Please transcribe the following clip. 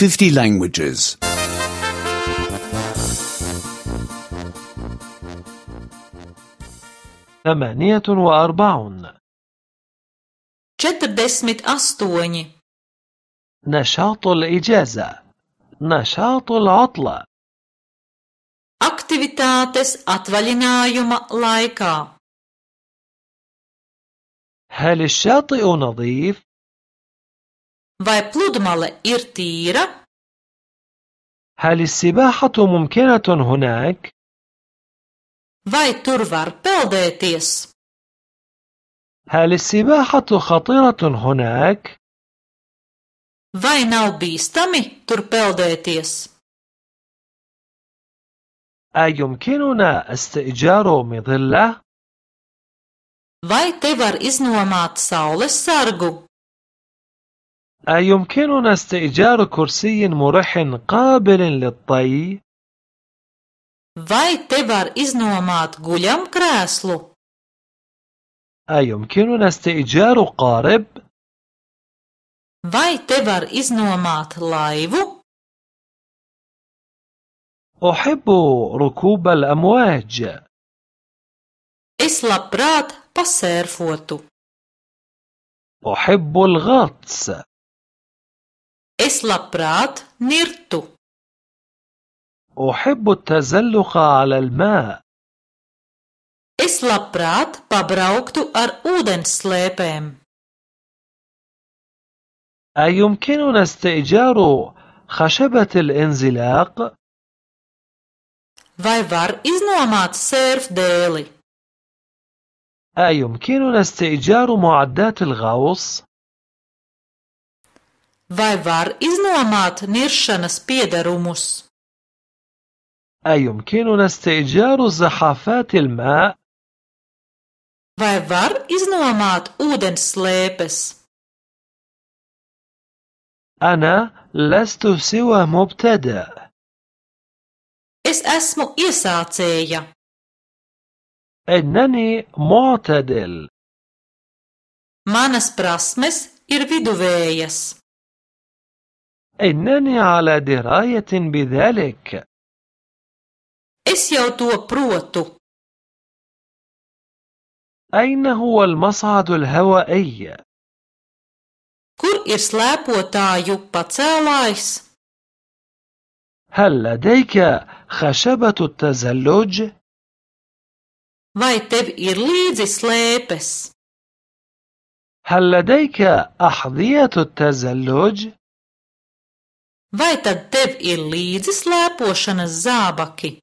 50 languages. 48 48 نشاط الإجازة نشاط العطلة Aktivitātes atvaļinājuma laikā. هل الشاطئ نظيف؟ Vai pludmale ir tīra? هل السباحة ممكنة هناك؟ Vai tur var peldēties? هل السباحة خطيرة هناك؟ Vai nav bīstami tur peldēties? أيمكننا استئجار مظلة؟ Vai te var iznomāt saules sargu? أيمكننا استئجار كرسي مريح قابل للطي؟ Vai te var iznomāt guļamkrēslu? أيمكننا استئجار قارب؟ Vai te var iznomāt laivu? أحب ركوب الأمواج. Es labprāt pasērfotu. أحب الغطس. Es labprāt nirtu. أحب التزلق على الماء. Es labprāt pabrauktu ar ūdensslēpēm. أيمكننا استئجار خشبة الانزلاق؟ Vai var iznomāt sērfdēli? أيمكننا استئجار معدات الغوص؟ Vai var iznomāt niršanas piederumus? أيمكننا استئجار زحافات الماء؟ Vai var iznomāt ūdensslēpes? أنا لست سوى مبتدئ. Es esmu iesācēja. إنني معتدل. Manas prasmes ir viduvējas. إنني على دراية بذلك. Es jau to protu. أين هو المصعد الهوائي؟ Kur ir slēpotāju pacēlājs? هل لديك خشبة التزلج؟ Vai tev ir līdzi slēpes? هل لديك أحذية التزلج؟ Vai tad tev ir līdzi slēpošanas zābaki?